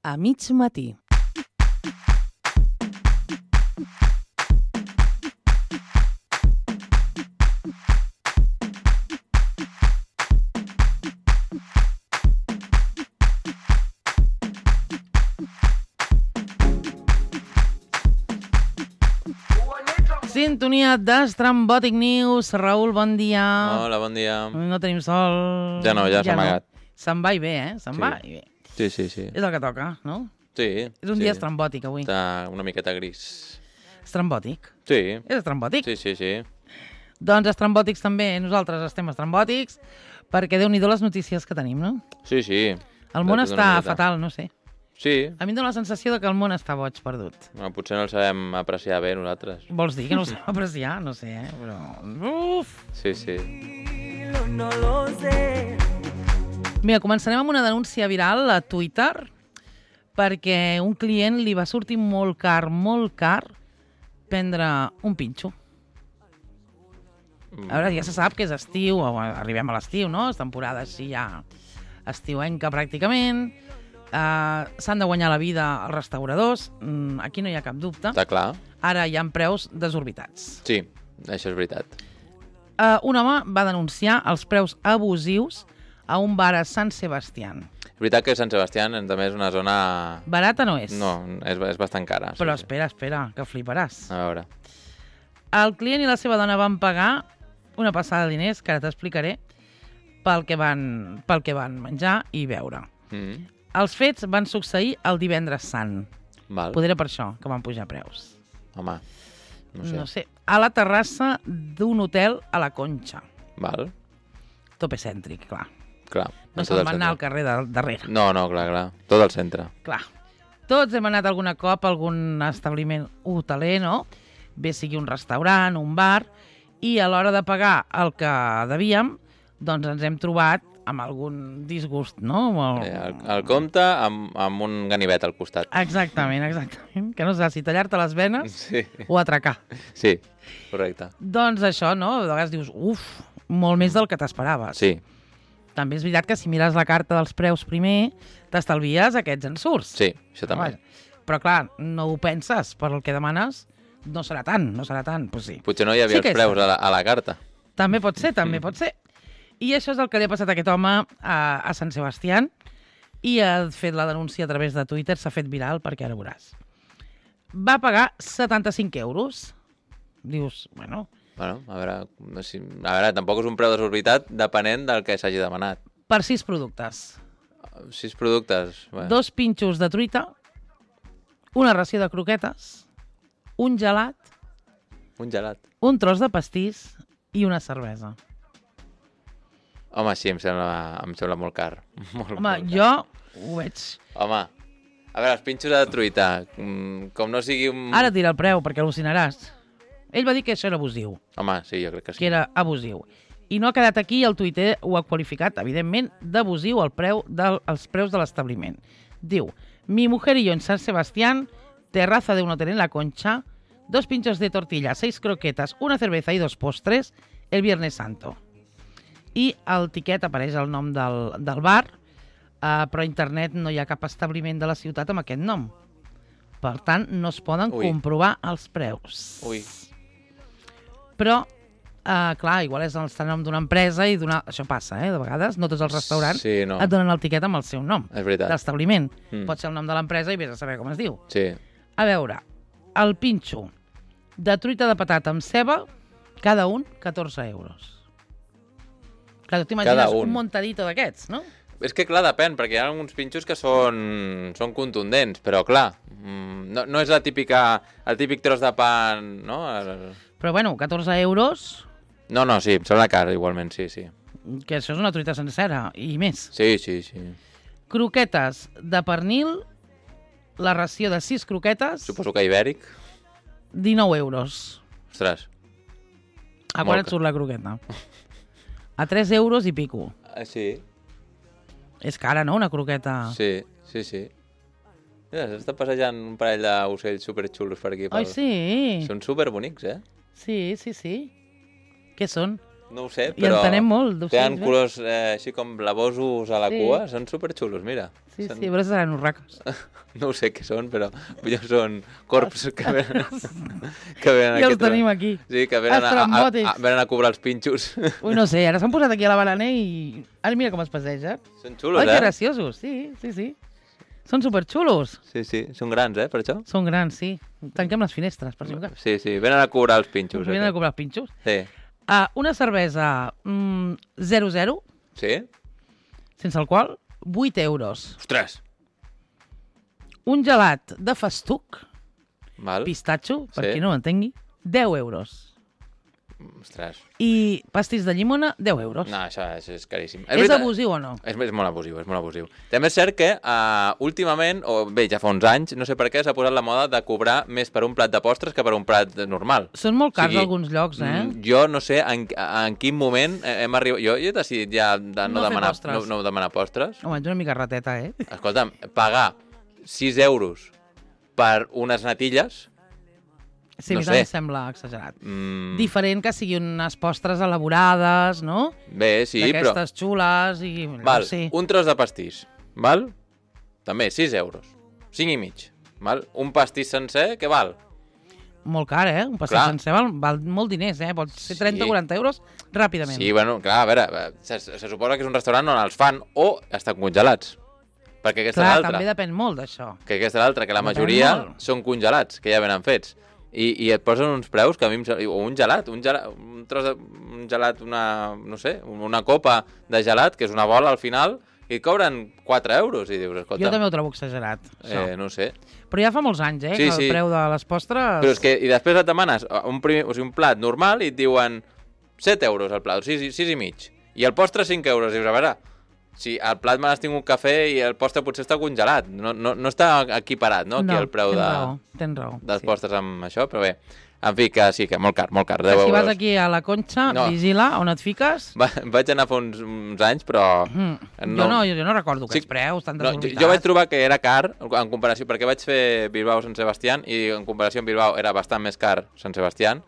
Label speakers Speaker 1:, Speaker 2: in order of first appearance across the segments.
Speaker 1: a mig matí. Sintonia d'Estrambòtic News. Raül, bon dia.
Speaker 2: Hola, bon dia.
Speaker 1: No tenim sol.
Speaker 2: Ja no, ja s'ha amagat.
Speaker 1: Se'n va i bé, eh? Se'n va i bé.
Speaker 2: Sí.
Speaker 1: És el que toca, no?
Speaker 2: Sí.
Speaker 1: És un dia estrambòtic, avui.
Speaker 2: Està una miqueta gris.
Speaker 1: Estrambòtic?
Speaker 2: Sí.
Speaker 1: És estrambòtic?
Speaker 2: Sí.
Speaker 1: Doncs estrambòtics també. Nosaltres estem estrambòtics perquè Déu-n'hi-do les notícies que tenim, no?
Speaker 2: Sí.
Speaker 1: El món està fatal, no sé.
Speaker 2: Sí.
Speaker 1: A mi em dóna la sensació que el món està boig perdut.
Speaker 2: Bueno, potser no el sabem apreciar bé nosaltres.
Speaker 1: Vols dir que no ho sabem apreciar? No sé, però... Uf!
Speaker 2: Sí.
Speaker 1: No lo sé. Mira, començarem amb una denúncia viral a Twitter perquè un client li va sortir molt car prendre un pinxo. A veure, ja se sap que és estiu, arribem a l'estiu, no? És temporada així ja estiuenca pràcticament. S'han de guanyar la vida els restauradors, aquí no hi ha cap dubte.
Speaker 2: Està clar.
Speaker 1: Ara hi ha preus desorbitats.
Speaker 2: Sí, això és veritat.
Speaker 1: Un home va denunciar els preus abusius a un bar a Sant Sebastián.
Speaker 2: És veritat que Sant Sebastián també és una zona...
Speaker 1: Barata no és.
Speaker 2: No, és bastant cara.
Speaker 1: Però espera, que fliparàs.
Speaker 2: A veure.
Speaker 1: El client i la seva dona van pagar una passada de diners, que ara t'explicaré, pel que van menjar i beure. Els fets van succeir el divendres sant.
Speaker 2: Val.
Speaker 1: Poder per això que van pujar preus.
Speaker 2: Home, no sé.
Speaker 1: A la terrassa d'un hotel a la Conxa.
Speaker 2: Val.
Speaker 1: Tope cèntric, clar. No se'n van anar al carrer darrere.
Speaker 2: No, clar. Tot al centre.
Speaker 1: Clar. Tots hem anat algun cop a algun establiment hoteler, no? Bé sigui un restaurant, un bar, i a l'hora de pagar el que devíem, doncs ens hem trobat amb algun disgust, no?
Speaker 2: El compte amb un ganivet al costat.
Speaker 1: Exactament. Que no sé si tallar-te les venes o atracar.
Speaker 2: Sí, correcte.
Speaker 1: Doncs això, no? De vegades dius, molt més del que t'esperaves.
Speaker 2: Sí.
Speaker 1: També és veritat que si mires la carta dels preus primer, t'estalvies aquests ensurts.
Speaker 2: Sí, això també.
Speaker 1: Però clar, no ho penses, per el que demanes, no serà tant. Pues sí.
Speaker 2: Potser no hi havia els preus a la carta.
Speaker 1: També pot ser. I això és el que li ha passat a aquest home a Sant Sebastián i ha fet la denúncia a través de Twitter, s'ha fet viral perquè ara veuràs. Va pagar 75 euros. Dius, bueno...
Speaker 2: Bueno, a veure, tampoc és un preu desorbitat depenent del que s'hagi demanat.
Speaker 1: Per 6 productes.
Speaker 2: 6 productes? Bueno.
Speaker 1: 2 pinxos de truita, una ració de croquetes, un gelat, un tros de pastís i una cervesa.
Speaker 2: Home, sí, em sembla molt car.
Speaker 1: Jo ho veig.
Speaker 2: Home, a veure, els pinxos de truita, com no sigui un...
Speaker 1: Ara et diré el preu, perquè al·lucinaràs. Ell va dir que això era abusiu.
Speaker 2: Home, sí, jo crec que sí.
Speaker 1: Que era abusiu. I no ha quedat aquí, el Twitter ho ha qualificat, evidentment, d'abusiu els preus de l'establiment. Diu, mi mujer y yo en San Sebastián, terraza de un hotel en la Concha, 2 pinchos de tortilla, 6 croquetas, una cerveza y 2 postres, el Viernes Santo. I al tiquet apareix el nom del bar, però a internet no hi ha cap establiment de la ciutat amb aquest nom. Per tant, no es poden comprovar els preus. Però, clar, igual és el nom d'una empresa i això passa, de vegades. No tots els restaurants et donen el tiquet amb el seu nom.
Speaker 2: És veritat.
Speaker 1: D'establiment. Pot ser el nom de l'empresa i vés a saber com es diu.
Speaker 2: Sí.
Speaker 1: A veure, el pinxo de truita de patata amb ceba, cada un 14 euros. Clar, tu t'imagines un montadito d'aquests, no?
Speaker 2: És que, clar, depèn, perquè hi ha alguns pinxos que són contundents, però, clar, no és el típic tros de pa, no?
Speaker 1: Però, bueno, 14 euros...
Speaker 2: No, sí, em sembla car, igualment, sí.
Speaker 1: Que això és una truita sencera, i més.
Speaker 2: Sí.
Speaker 1: Croquetes de pernil, la ració de 6 croquetes...
Speaker 2: Suposo que ibèric.
Speaker 1: 19 euros.
Speaker 2: Ostres.
Speaker 1: A quan et surt la croqueta? A 3 euros i pico.
Speaker 2: Sí.
Speaker 1: És cara, no?, una croqueta.
Speaker 2: Sí. Mira, s'està passejant un parell d'ocells superxulos per aquí.
Speaker 1: Ai, sí.
Speaker 2: Són superbonics, eh?
Speaker 1: Sí. Què són?
Speaker 2: no ho sé,
Speaker 1: I
Speaker 2: però
Speaker 1: entenem molt.
Speaker 2: tenen colors així com blavosos a la cua, són superxulos, mira.
Speaker 1: Sí, a veure si seran urracos.
Speaker 2: No ho sé què són, però són corps que venen
Speaker 1: I els tenim aquí.
Speaker 2: Sí, que venen a cobrar els pinxos.
Speaker 1: Ui, no sé, ara s'han posat aquí a la bananer i... Ara mira com es passegen.
Speaker 2: Són xulos,
Speaker 1: que graciosos, sí. Són superxulos.
Speaker 2: Sí, són grans, per això?
Speaker 1: Són grans, sí. Tanquem les finestres, per si no.
Speaker 2: Sí, venen a cobrar els pinxos.
Speaker 1: Venen a cobrar els pinxos?
Speaker 2: Sí.
Speaker 1: Una cervesa 0,0.
Speaker 2: Sí.
Speaker 1: Sense alcohol, 8 euros.
Speaker 2: Ostres!
Speaker 1: Un gelat de festuc,
Speaker 2: Val.
Speaker 1: pistatxo, per qui no ho entengui, 10 euros.
Speaker 2: Ostres.
Speaker 1: I pastís de llimona, 10 euros.
Speaker 2: No, això és caríssim.
Speaker 1: És abusiu o no?
Speaker 2: És molt abusiu, També és cert que últimament, o bé, ja fa uns anys, no sé per què, s'ha posat la moda de cobrar més per un plat de postres que per un plat normal.
Speaker 1: Són molt cars alguns llocs,
Speaker 2: Jo no sé en quin moment hem arribat... Jo he decidit ja de no demanar postres.
Speaker 1: Home, ets una mica rateta,
Speaker 2: Escolta'm, pagar 6 euros per unes natilles...
Speaker 1: Sí, a mi també em sembla exagerat. Diferent que siguin unes postres elaborades, no?
Speaker 2: Bé, sí, però...
Speaker 1: D'aquestes xules i...
Speaker 2: Val, un tros de pastís, val? També, 6 euros. 5 i mig, val? Un pastís sencer, què val?
Speaker 1: Molt car, Un pastís sencer val molt diners, Pot ser 30 o 40 euros ràpidament.
Speaker 2: Sí, bueno, clar, a veure, se suposa que és un restaurant on els fan o estan congelats. Perquè aquesta és l'altra.
Speaker 1: També depèn molt d'això.
Speaker 2: Que aquesta és l'altra, que la majoria són congelats, que ja venen fets. I et posen uns preus que a mi o un gelat, un tros de un gelat, una copa de gelat, que és una bola al final, i et cobren 4 euros, i dius, escolta...
Speaker 1: Jo també ho trobo exagerat, això.
Speaker 2: No sé.
Speaker 1: Però ja fa molts anys, que el preu de les postres...
Speaker 2: Però és que, i després et demanes un plat normal i et diuen 7 euros el plat, 6 i mig. I el postre 5 euros, dius, a veure... Sí, el plat me n'has tingut cafè i el postre potser està congelat. No està equiparat, no? Aquí el preu
Speaker 1: tens raó.
Speaker 2: dels postres amb això, però bé. En fi, que sí, que molt car, 10 euros.
Speaker 1: Si vas aquí a la Conxa, vigila on et fiques.
Speaker 2: Vaig anar fa uns anys, però...
Speaker 1: Jo no recordo aquests preus tan desorbitats.
Speaker 2: Jo vaig trobar que era car, en comparació, perquè vaig fer Bilbao-Sant Sebastián, i en comparació amb Bilbao era bastant més car Sant Sebastián,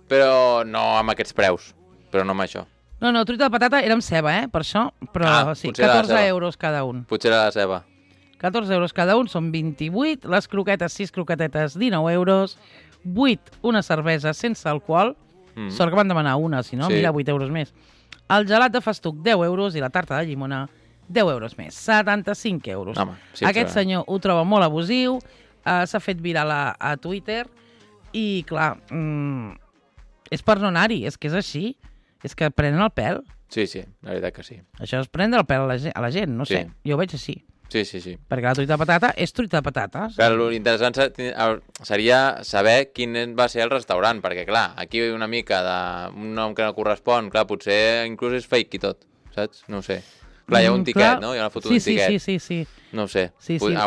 Speaker 2: però no amb aquests preus, però no amb això.
Speaker 1: No, truita de patata era amb ceba, per això, però sí, 14 euros cada un.
Speaker 2: Potser era la ceba.
Speaker 1: 14 euros cada un, són 28, les croquetes, 6 croquetetes, 19 euros, 8 una cervesa sense alcohol, sort que van demanar una, si no, mira, 8 euros més. El gelat de festuc, 10 euros, i la tarta de llimona, 10 euros més, 75 euros.
Speaker 2: Home, sí,
Speaker 1: aquest senyor ho troba molt abusiu, s'ha fet viral a Twitter, i clar, és per no anar-hi, és que és així. És que prenen el pèl.
Speaker 2: Sí, la veritat que sí.
Speaker 1: Això és prendre el pèl a la gent, no sé. Jo ho veig així.
Speaker 2: Sí.
Speaker 1: Perquè la truita de patata és truita de patates.
Speaker 2: Clar, l'interessant seria saber quin va ser el restaurant, perquè, clar, aquí una mica d'un nom que no correspon, clar, potser inclús és fake i tot, saps? No ho sé. Clar, hi ha un tiquet, no? Hi ha una foto d'un tiquet.
Speaker 1: Sí.
Speaker 2: No ho sé.
Speaker 1: Sí, posa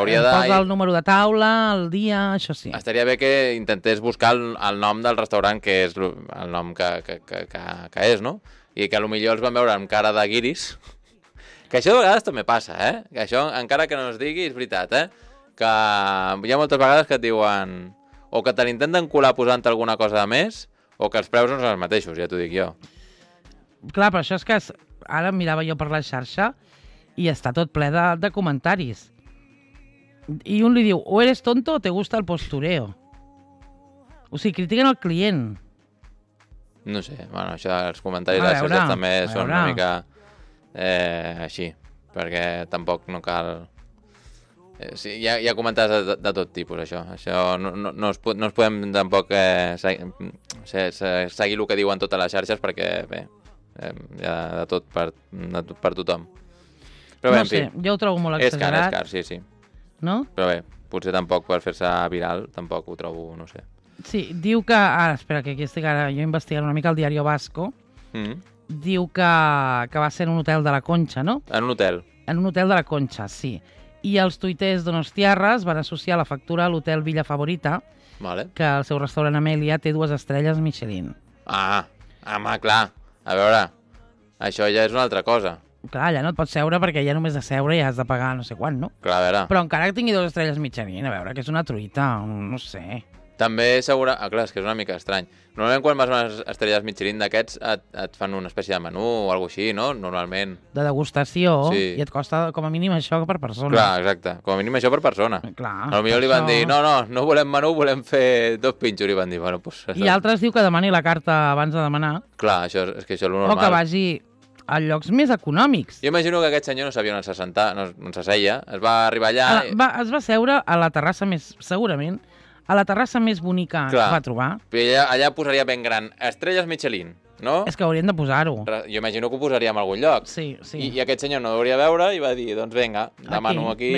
Speaker 1: el número de taula, el dia, això sí.
Speaker 2: Estaria bé que intentés buscar el nom del restaurant, que és el nom que és, no? I que potser els van veure amb cara de guiris. Que això de vegades també passa, Que això, encara que no es digui, és veritat, Que hi ha moltes vegades que et diuen o que te l'intenten colar posant-te alguna cosa de més, o que els preus no són els mateixos, ja t'ho dic jo.
Speaker 1: Clar, però això és que ara mirava jo per la xarxa i està tot ple de comentaris. I un li diu, o eres tonto o te gusta el postureo. O sigui, critiquen el client.
Speaker 2: No sé, bueno, això dels comentaris de les xarxes també són una mica així, perquè tampoc no cal... Sí, hi ha comentaris de tot tipus, això. Això no es podem tampoc seguir el que diuen totes les xarxes, perquè, bé, hi ha de tot per tothom. Però bé,
Speaker 1: no sé, jo ho trobo molt exagerat.
Speaker 2: És car, sí.
Speaker 1: No?
Speaker 2: Però bé, potser tampoc per fer-se viral, tampoc ho trobo, no sé.
Speaker 1: Sí, diu que... espera, que aquí estic ara jo investigant una mica el Diario Vasco. Diu que va ser en un hotel de la Conxa, no?
Speaker 2: En un hotel?
Speaker 1: En un hotel de la Conxa, sí. I els tuiters donostiarres van associar la factura a l'hotel Villa Favorita, que el seu restaurant Amèlia té 2 estrelles Michelin.
Speaker 2: Home, clar. A veure, això ja és una altra cosa.
Speaker 1: Clar, allà no et pots seure perquè ja només de seure ja has de pagar no sé quant, no?
Speaker 2: Clar, a veure.
Speaker 1: Però encara que tingui 2 estrelles Michelin, a veure, que és una truita, no sé.
Speaker 2: També segura... clar, és que és una mica estrany. Normalment quan vas a unes estrelles Michelin d'aquests et fan una espècie de menú o alguna així, no? Normalment.
Speaker 1: De degustació,
Speaker 2: Sí.
Speaker 1: i et costa com a mínim això per persona.
Speaker 2: Clar, exacte. Com a mínim això per persona.
Speaker 1: Clar,
Speaker 2: Potser li van dir, no volem menú, volem fer 2 pinxos. I van dir, bueno, doncs...
Speaker 1: I altres diu que demani la carta abans de demanar.
Speaker 2: Clar, és que això és lo
Speaker 1: O
Speaker 2: normal.
Speaker 1: que vagi a llocs més econòmics.
Speaker 2: Jo imagino que aquest senyor no sabia on on s'asseia. Es va arribar allà...
Speaker 1: Es va seure a la terrassa més... Segurament, a la terrassa més bonica que va trobar.
Speaker 2: Allà posaria ben gran Estrelles Michelin, no?
Speaker 1: És que haurien de posar-ho.
Speaker 2: Jo imagino que ho posaria en algun lloc.
Speaker 1: Sí.
Speaker 2: I aquest senyor no hauria veure i va dir, doncs vinga, demano aquí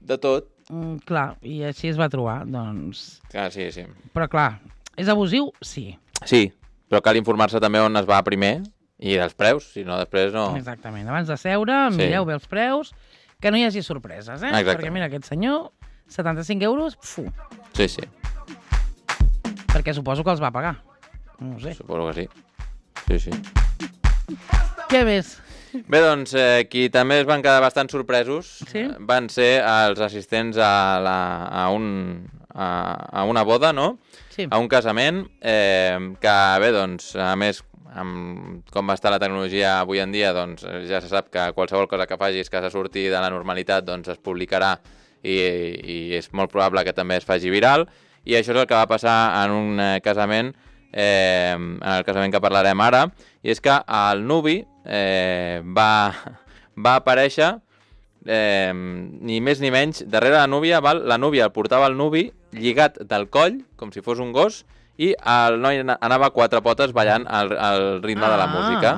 Speaker 2: de tot.
Speaker 1: Clar, i així es va trobar, doncs...
Speaker 2: Clar, sí.
Speaker 1: Però clar, és abusiu? Sí.
Speaker 2: Sí, però cal informar-se també on es va primer i dels preus, si no després no...
Speaker 1: Exactament, abans de seure, mireu bé els preus, que no hi hagi sorpreses, eh?
Speaker 2: Exacte.
Speaker 1: Perquè mira, aquest senyor, 75 euros, fu.
Speaker 2: Sí.
Speaker 1: Perquè suposo que els va pagar. No ho sé.
Speaker 2: Suposo que sí. Sí.
Speaker 1: Què més?
Speaker 2: Bé, doncs, qui també es van quedar bastant sorpresos van ser els assistents a una boda, no?
Speaker 1: Sí.
Speaker 2: A un casament, que bé, doncs, a més, com va estar la tecnologia avui en dia, doncs ja se sap que qualsevol cosa que facis que se surti de la normalitat doncs es publicarà i és molt probable que també es faci viral, i això és el que va passar en un casament, en el casament que parlarem ara, i és que el nuvi va aparèixer ni més ni menys darrere la núvia, la núvia el portava el nuvi lligat del coll, com si fos un gos, i el noi anava a 4 potes ballant al ritme de la música.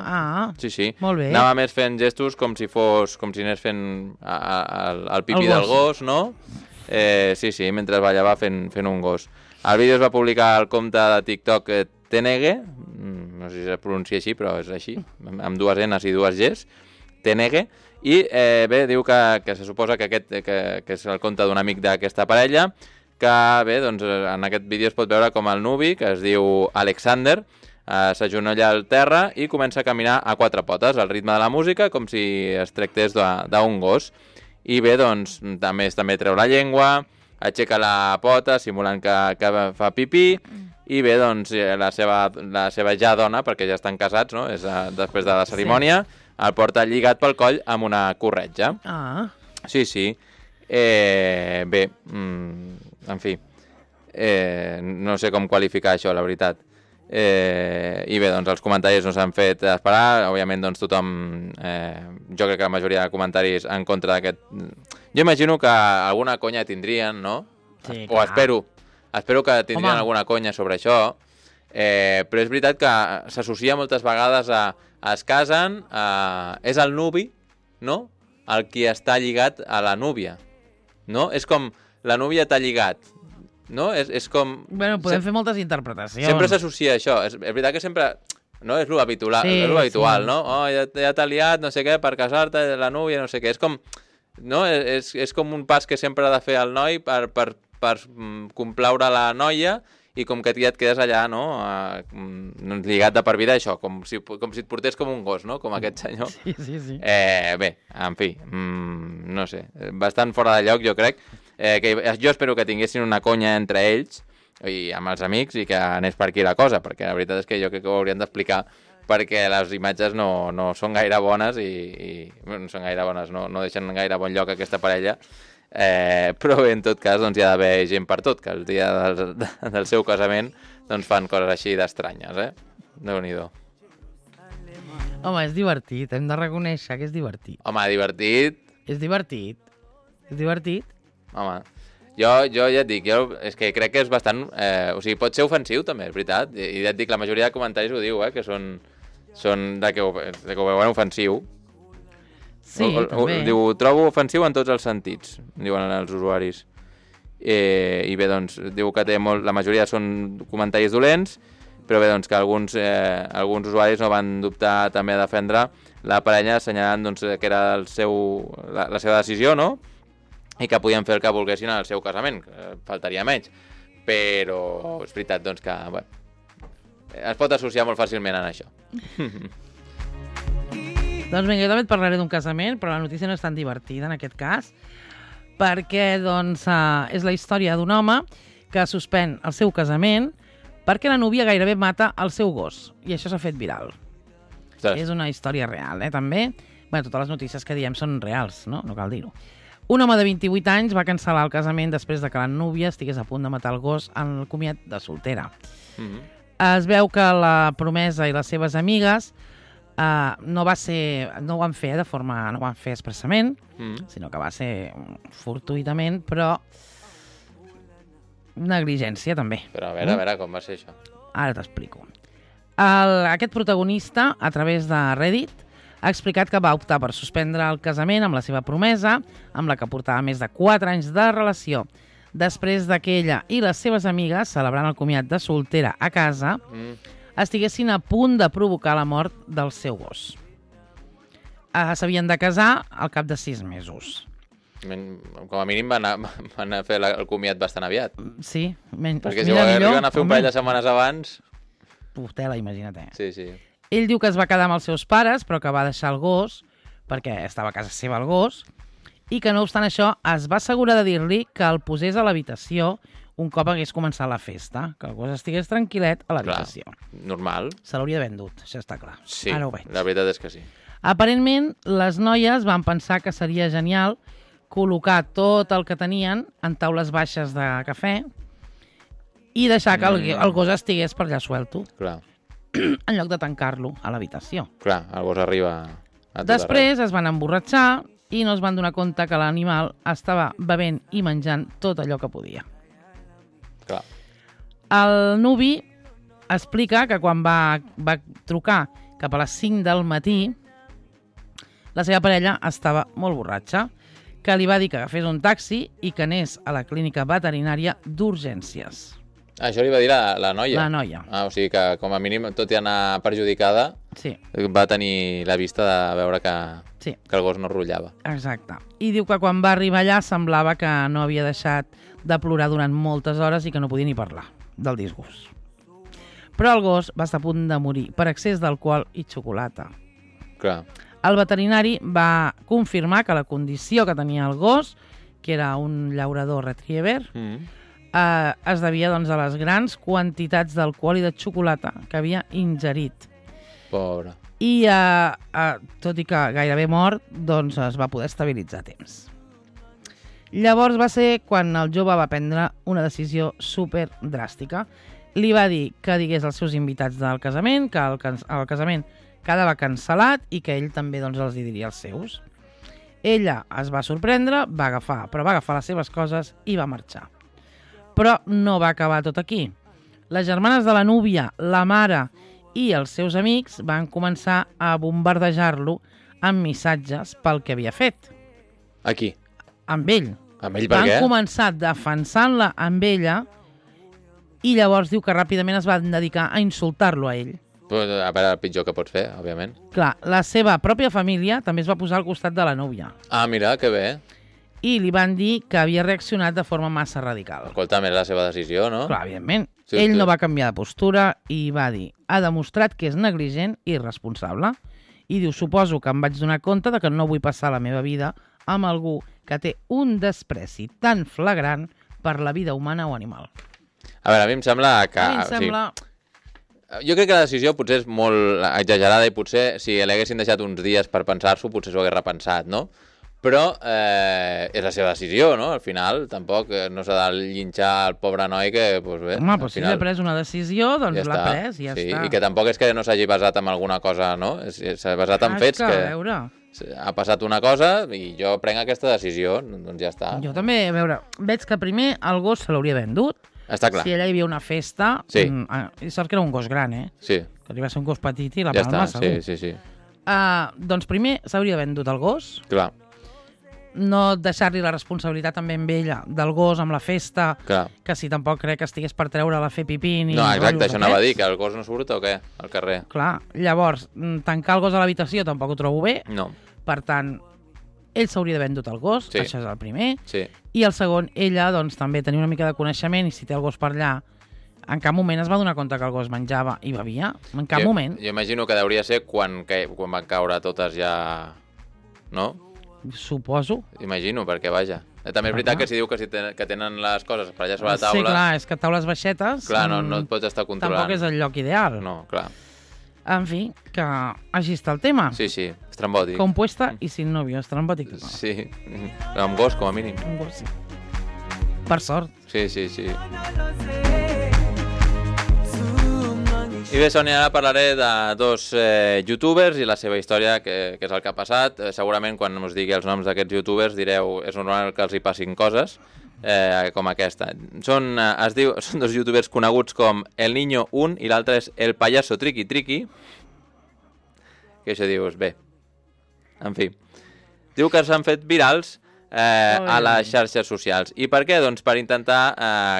Speaker 2: Sí.
Speaker 1: Molt bé.
Speaker 2: Anava més fent gestos com si anés fent el pipí del gos, no? Sí, mentre ballava fent un gos. El vídeo es va publicar al compte de TikTok Tenege, no sé si es pronuncia així, però és així, amb 2 N's i 2 G's, Tenege, i bé, diu que se suposa que és el compte d'un amic d'aquesta parella, que bé, doncs en aquest vídeo es pot veure com el nuvi, que es diu Alexander, s'agenolla al terra i comença a caminar a 4 potes, al ritme de la música, com si es tractés d'un gos. I bé, doncs, també treu la llengua, aixeca la pota, simulant que fa pipí, i bé, doncs, la seva ja dona, perquè ja estan casats, no?, és després de la cerimònia, el porta lligat pel coll amb una corretja. Sí. Bé, en fi, no sé com qualificar això, la veritat. I bé, doncs els comentaris no s'han fet esperar, òbviament doncs tothom, jo crec que la majoria de comentaris en contra d'aquest... Jo imagino que alguna conya tindrien, no?
Speaker 1: Sí,
Speaker 2: o espero que tindrien alguna conya sobre això, però és veritat que s'associa moltes vegades a es casen, és el nuvi, no?, el qui està lligat a la núvia, no? És com la núvia t'ha lligat, no? És com...
Speaker 1: Bueno, podem fer moltes interpretacions.
Speaker 2: Sempre s'associa a això. És veritat que sempre... No? És l'habitual, no? Oh, ja t'ha liat, no sé què, per casar-te, la núvia, no sé què. És com... No? És com un pas que sempre ha de fer el noi per complaure la noia, i com que ja et quedes allà, no? Lligat de per vida, això, com si et portés com un gos, no? Com aquest senyor.
Speaker 1: Sí.
Speaker 2: Bé, en fi, no sé, bastant fora de lloc, jo crec. Jo espero que tinguessin una conya entre ells i amb els amics i que anés per aquí la cosa, perquè la veritat és que jo crec que ho haurien d'explicar, perquè les imatges no són gaire bones i no són gaire bones, no deixen gaire bon lloc aquesta parella, però bé, en tot cas doncs hi ha d'haver gent per tot, que el dia del seu casament doncs fan coses així d'estranyes, Déu-n'hi-do.
Speaker 1: Home, és divertit, hem de reconèixer que és divertit.
Speaker 2: Home, divertit.
Speaker 1: És divertit.
Speaker 2: Home, jo ja et dic, és que crec que és bastant... o sigui, pot ser ofensiu també, és veritat, i ja et dic, la majoria de comentaris ho diu, que són de que ho veuen ofensiu.
Speaker 1: Sí, també.
Speaker 2: Diu, trobo ofensiu en tots els sentits, diuen els usuaris. I bé, doncs, diu que la majoria són comentaris dolents, però bé, doncs, que alguns usuaris no van dubtar també a defendre la parella, assenyalant doncs, que era la seva decisió, no?, i que podien fer el que volguessin al seu casament, faltaria menys. Però és veritat, doncs, que es pot associar molt fàcilment en això.
Speaker 1: Doncs vinga, jo també et parlaré d'un casament, però la notícia no és tan divertida en aquest cas, perquè doncs, és la història d'un home que suspèn el seu casament perquè la núvia gairebé mata el seu gos. I això s'ha fet viral.
Speaker 2: Ostres.
Speaker 1: És una història real, també. Bé, totes les notícies que diem són reals, no? No cal dir-ho. Un home de 28 anys va cancel·lar el casament després de que la núvia estigués a punt de matar el gos en el comiat de soltera. Es veu que la promesa i les seves amigues no ho van fer de forma... no ho van fer expressament, sinó que va ser fortuïtament, però negligència també.
Speaker 2: Però a veure, com va ser això?
Speaker 1: Ara t'explico. Aquest protagonista, a través de Reddit, ha explicat que va optar per suspendre el casament amb la seva promesa, amb la que portava més de 4 anys de relació. Després que ella i les seves amigues, celebrant el comiat de soltera a casa, estiguessin a punt de provocar la mort del seu gos. S'havien de casar al cap de 6 mesos.
Speaker 2: Com a mínim van a fer el comiat bastant aviat.
Speaker 1: Sí.
Speaker 2: Perquè si arriben a fer un parell de setmanes abans...
Speaker 1: Tela, imagina't.
Speaker 2: Sí.
Speaker 1: Ell diu que es va quedar amb els seus pares, però que va deixar el gos, perquè estava a casa seva el gos, i que no obstant això es va assegurar de dir-li que el posés a l'habitació un cop hagués començat la festa, que el gos estigués tranquil·let a l'habitació.
Speaker 2: Normal.
Speaker 1: Se l'hauria vendut, això està clar.
Speaker 2: Sí,
Speaker 1: ara ho veig.
Speaker 2: La veritat és que sí.
Speaker 1: Aparentment, les noies van pensar que seria genial col·locar tot el que tenien en taules baixes de cafè i deixar que el gos estigués per allà suelto.
Speaker 2: Clar.
Speaker 1: En lloc de tancar-lo a l'habitació.
Speaker 2: Clar, el gos arriba a tot
Speaker 1: Després es van emborratxar i no es van donar compte que l'animal estava bevent i menjant tot allò que podia.
Speaker 2: Clar.
Speaker 1: El nuvi explica que quan va trucar cap a les 5 del matí, la seva parella estava molt borratxa, que li va dir que agafés un taxi i que anés a la clínica veterinària d'urgències.
Speaker 2: Això li va dir la noia?
Speaker 1: La noia.
Speaker 2: O sigui que, com a mínim, tot i anar perjudicada, va tenir la vista de veure que el gos no rotllava.
Speaker 1: Exacte. I diu que quan va arribar allà semblava que no havia deixat de plorar durant moltes hores i que no podia ni parlar del disgust. Però el gos va estar a punt de morir per excés d'alcohol i xocolata.
Speaker 2: Clar.
Speaker 1: El veterinari va confirmar que la condició que tenia el gos, que era un llaurador retriever, es devia a les grans quantitats d'alcohol i de xocolata que havia ingerit.
Speaker 2: Pobre.
Speaker 1: I, tot i que gairebé mort, es va poder estabilitzar a temps. Llavors va ser quan el jove va prendre una decisió super dràstica. Li va dir que digués als seus invitats del casament que el casament quedava cancel·lat i que ell també els diria als seus. Ella es va sorprendre, va agafar les seves coses i va marxar. Però no va acabar tot aquí. Les germanes de la núvia, la mare i els seus amics van començar a bombardejar-lo amb missatges pel que havia fet.
Speaker 2: A qui?
Speaker 1: Amb ell.
Speaker 2: Amb ell per què?
Speaker 1: Van començar defensant-la amb ella i llavors diu que ràpidament es van dedicar a insultar-lo a ell.
Speaker 2: A veure, el pitjor que pots fer, òbviament.
Speaker 1: Clar, la seva pròpia família també es va posar al costat de la núvia.
Speaker 2: Ah, mira, que bé.
Speaker 1: I li van dir que havia reaccionat de forma massa radical.
Speaker 2: Escolta, és la seva decisió, no?
Speaker 1: Clar, evidentment. Sí, ell no va canviar de postura i va dir: ha demostrat que és negligent i irresponsable. I diu: suposo que em vaig donar compte de que no vull passar la meva vida amb algú que té un despreci tan flagrant per la vida humana o animal.
Speaker 2: A veure, a mi em sembla que... Jo crec que la decisió potser és molt exagerada i potser si l'haguessin deixat uns dies per pensar-s'ho potser s'ho hagués repensat, no? Però és la seva decisió, no? Al final tampoc no s'ha de llinxar el pobre noi que, doncs bé...
Speaker 1: Home, però si ha pres una decisió, doncs l'ha pres i ja està.
Speaker 2: I que tampoc és que no s'hagi basat en alguna cosa, no? S'ha basat en fets que ha passat una cosa i jo prenc aquesta decisió, doncs ja està.
Speaker 1: Jo també, a veure, veig que primer el gos se l'hauria vendut.
Speaker 2: Està clar.
Speaker 1: Si allà hi havia una festa, i sort que era un gos gran,
Speaker 2: Sí.
Speaker 1: Que li va ser un gos petit i la palma, segur.
Speaker 2: Sí.
Speaker 1: Doncs primer s'hauria vendut el gos.
Speaker 2: Clar.
Speaker 1: No deixar-li la responsabilitat també amb ella, del gos, amb la festa, que si tampoc crec que estigués per treure-la a fer pipí ni...
Speaker 2: No, exacte, això anava a dir, que el gos no surt o què, al carrer.
Speaker 1: Clar, llavors, tancar el gos a l'habitació tampoc ho trobo bé.
Speaker 2: No.
Speaker 1: Per tant, ell s'hauria d'haver vendut el gos, això és el primer.
Speaker 2: Sí.
Speaker 1: I el segon, ella, doncs, també tenia una mica de coneixement i si té el gos per allà, en cap moment es va donar compte que el gos menjava i bevia. En cap moment.
Speaker 2: Jo imagino que hauria ser quan van caure totes ja... No?
Speaker 1: Suposo.
Speaker 2: Imagino, perquè vaja. També és veritat que si diu que tenen les coses per allà sobre la taula...
Speaker 1: Sí, clar, és que taules baixetes...
Speaker 2: Clar, no et pots estar controlant.
Speaker 1: Tampoc és el lloc ideal.
Speaker 2: No, clar.
Speaker 1: En fi, que així està el tema.
Speaker 2: Sí, estrambòtic.
Speaker 1: Compuesta i sin novio, estrambòtic.
Speaker 2: Sí, amb gos, com a mínim.
Speaker 1: Amb gos, sí. Per sort.
Speaker 2: Sí. I bé, Sònia, ara parlaré de dos youtubers i la seva història, que és el que ha passat. Segurament, quan us digui els noms d'aquests youtubers, direu és normal que els hi passin coses com aquesta. Són dos youtubers coneguts com El Niño 1 i l'altre és El Payaso Triqui Triqui. Que això dius, bé, en fi. Diu que s'han fet virals a les xarxes socials. I per què? Doncs per intentar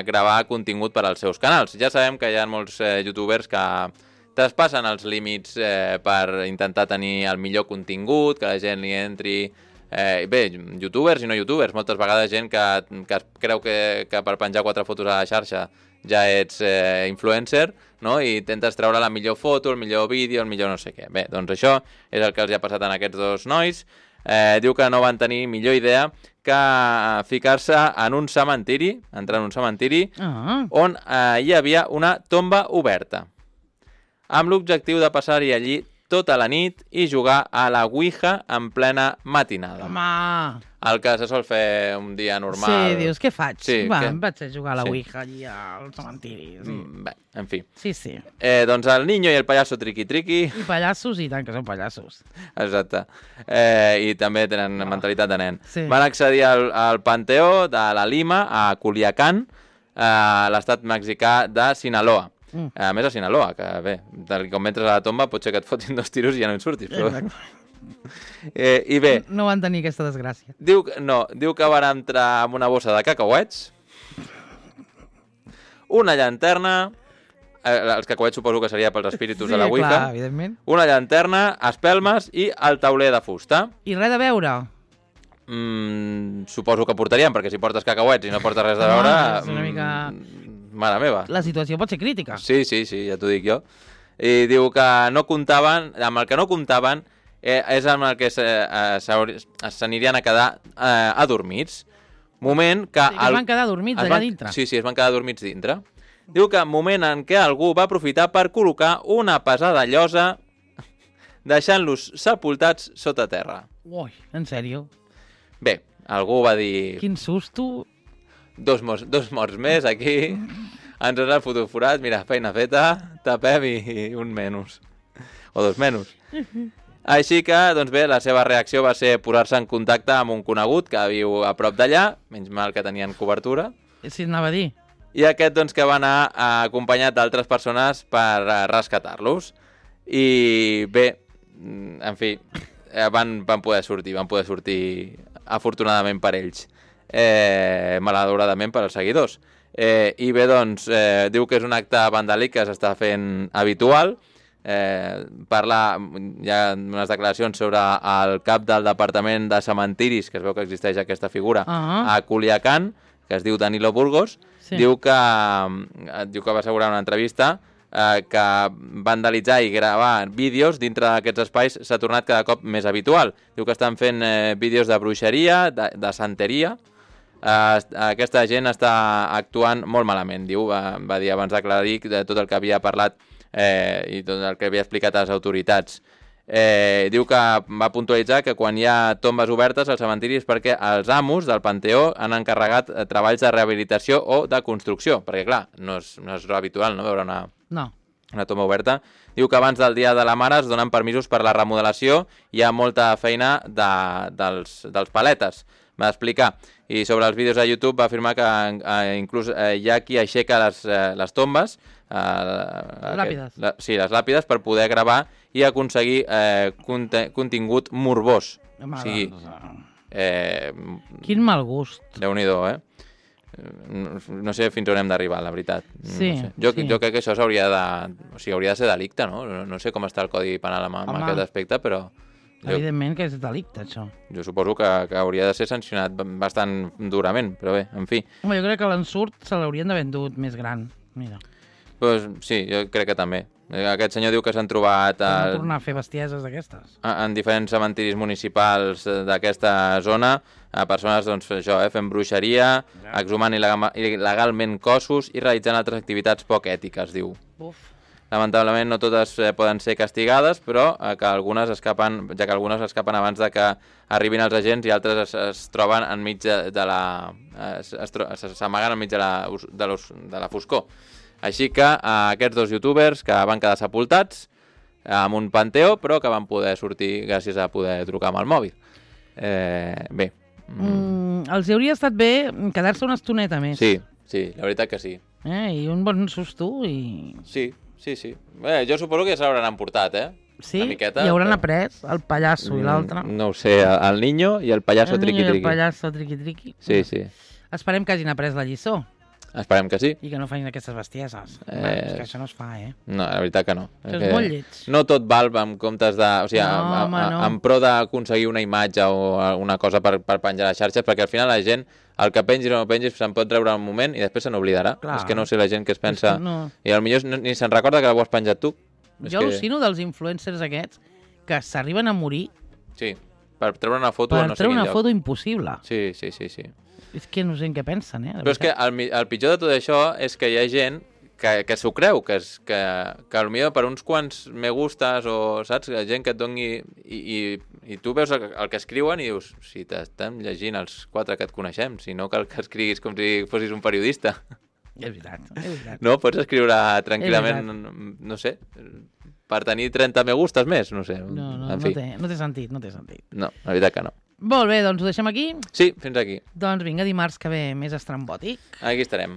Speaker 2: gravar contingut per als seus canals. Ja sabem que hi ha molts youtubers que traspassen els límits per intentar tenir el millor contingut, que la gent li entri... Bé, youtubers i no youtubers, moltes vegades gent que creu que per penjar 4 fotos a la xarxa ja ets influencer, no? I intentes treure la millor foto, el millor vídeo, el millor no sé què. Bé, doncs això és el que els ha passat a aquests dos nois. Diu que no van tenir millor idea que ficar-se en un cementiri, entrar en un cementiri, on hi havia una tomba oberta, amb l'objectiu de passar-hi allí tota la nit i jugar a la Ouija en plena matinada.
Speaker 1: Home!
Speaker 2: El que se sol fer un dia normal.
Speaker 1: Sí, dius, què faig?
Speaker 2: Sí,
Speaker 1: em vaig a jugar a la Ouija allí al cementiri. Sí.
Speaker 2: Bé, en fi.
Speaker 1: Sí.
Speaker 2: Doncs El Niño i El Payaso Triqui Triqui...
Speaker 1: I pallassos, i tant que són pallassos.
Speaker 2: Exacte. I també tenen mentalitat de nen.
Speaker 1: Sí.
Speaker 2: Van accedir al Panteó de la Lima, a Culiacán, a l'estat mexicà de Sinaloa. A més a Sinaloa, que bé, com entres a la tomba pot ser que et fotin 2 tiros i ja no en surtis. Però... I bé...
Speaker 1: No van tenir aquesta desgràcia.
Speaker 2: Diu que van entrar amb una bossa de cacauets, una llanterna, els cacauets suposo que seria pels espíritus de la Ouija,
Speaker 1: clar, evidentment.
Speaker 2: Una llanterna, espelmes i el tauler de fusta.
Speaker 1: I res de veure?
Speaker 2: Suposo que portarien, perquè si portes cacauets i no portes res de veure...
Speaker 1: És una mica...
Speaker 2: Mare meva.
Speaker 1: La situació pot ser crítica.
Speaker 2: Sí, ja t'ho dic jo. I diu que no comptaven, amb el que no comptaven és amb el que s'anirien a quedar adormits. Moment que...
Speaker 1: Sí, que es van quedar adormits allà dintre.
Speaker 2: Sí, es van quedar adormits dintre. Diu que moment en què algú va aprofitar per col·locar una pesada llosa deixant-los sepultats sota terra.
Speaker 1: Ui, en sèrio?
Speaker 2: Bé, algú va dir...
Speaker 1: Quin susto...
Speaker 2: Dos morts més aquí, ens han fotut forat, mira, feina feta, tapem i un menys. O 2 menys. Així que, doncs bé, la seva reacció va ser posar-se en contacte amb un conegut que viu a prop d'allà, menys mal que tenien cobertura.
Speaker 1: Sí, anava a dir.
Speaker 2: I aquest, doncs, que va anar acompanyat d'altres persones per rescatar-los. I bé, en fi, van poder sortir afortunadament per ells. Malauradament per als seguidors. I bé, doncs, diu que és un acte vandàlic que s'està fent habitual. Parla, hi ha unes declaracions sobre el cap del departament de cementiris, que es veu que existeix aquesta figura, a Culiacán, que es diu Danilo Burgos. Diu que va assegurar en una entrevista que vandalitzar i gravar vídeos dintre d'aquests espais s'ha tornat cada cop més habitual. Diu que estan fent vídeos de bruixeria, de santeria. Aquesta gent està actuant molt malament, diu, va dir abans d'aclarir de tot el que havia parlat i tot el que havia explicat a les autoritats. Diu que va puntualitzar que quan hi ha tombes obertes al cementiri és perquè els amos del Panteó han encarregat treballs de rehabilitació o de construcció, perquè clar, no és habitual no veure una tomba oberta. Diu que abans del Dia de la Mare es donen permisos per la remodelació, hi ha molta feina dels paletes, va explicar. I sobre els vídeos a YouTube va afirmar que inclús hi ha qui aixeca les tombes,
Speaker 1: làpides.
Speaker 2: Les làpides, per poder gravar i aconseguir contingut morbós. O sigui,
Speaker 1: quin mal gust.
Speaker 2: Déu-n'hi-do, no sé fins on hem d'arribar, la veritat.
Speaker 1: Sí,
Speaker 2: no sé. Jo crec que això hauria de ser delicte, no? No sé com està el Codi Penal amb aquest aspecte, però...
Speaker 1: Evidentment que és delicte, això.
Speaker 2: Jo suposo que hauria de ser sancionat bastant durament, però bé, en fi.
Speaker 1: Home, jo crec que l'ensurt se l'haurien d'haver endut més gran, mira.
Speaker 2: Pues sí, jo crec que també. Aquest senyor diu que s'han trobat
Speaker 1: Per no tornar a fer bestieses d'aquestes.
Speaker 2: en diferents cementiris municipals d'aquesta zona, a persones doncs, això, fent bruixeria, exhumant il·legalment cossos i realitzant altres activitats poc ètiques, diu.
Speaker 1: Uf.
Speaker 2: Lamentablement no totes poden ser castigades, però que algunes escapen, ja que algunes escapen abans de que arribin els agents i altres es troben enmig de la... s'amaguen enmig de la foscor. Així que aquests dos youtubers que van quedar sepultats amb un panteó, però que van poder sortir gràcies a poder trucar amb el mòbil. Bé.
Speaker 1: Els hauria estat bé quedar-se una estoneta més.
Speaker 2: Sí, la veritat que sí.
Speaker 1: I un bon susto i...
Speaker 2: Sí. Bé, jo suposo que ja se l'hauran emportat,
Speaker 1: Sí,
Speaker 2: una miqueta,
Speaker 1: i hauran après el pallasso i l'altre.
Speaker 2: No ho sé, el niño i el pallasso triqui-triqui.
Speaker 1: El pallasso triqui-triqui.
Speaker 2: Sí.
Speaker 1: Esperem que hagin après la lliçó.
Speaker 2: Esperem que sí.
Speaker 1: I que no facin aquestes bestieses. És que això no es fa,
Speaker 2: No, la veritat que no.
Speaker 1: Que és molt lleig.
Speaker 2: No tot val en comptes de... O sigui,
Speaker 1: no.
Speaker 2: en pro d'aconseguir una imatge o una cosa per penjar a les xarxes, perquè al final la gent, el que pengis o no pengis, se'n pot treure un moment i després se n'oblidarà. És que no sé la gent que es pensa...
Speaker 1: No.
Speaker 2: I potser ni se'n recorda que l'ho has penjat tu.
Speaker 1: Jo al·lucino dels influencers aquests que s'arriben a morir...
Speaker 2: Sí, per treure una foto
Speaker 1: per
Speaker 2: no sé quin lloc.
Speaker 1: Per treure una foto impossible.
Speaker 2: Sí.
Speaker 1: És que no sé en què pensen,
Speaker 2: Però és que el pitjor de tot això és que hi ha gent que s'ho creu, que potser per uns quants me gustes o, saps, gent que et doni... I tu veus el que escriuen i dius, si t'estem llegint els 4 que et coneixem, si no cal que escriguis com si fossis un periodista.
Speaker 1: És veritat.
Speaker 2: No, pots escriure tranquil·lament, no sé, per tenir 30 me gustes més, no sé.
Speaker 1: No té sentit.
Speaker 2: No, la veritat que no.
Speaker 1: Molt bé, doncs ho deixem aquí?
Speaker 2: Sí, fins aquí.
Speaker 1: Doncs vinga, dimarts que ve més estrambòtic.
Speaker 2: Aquí estarem.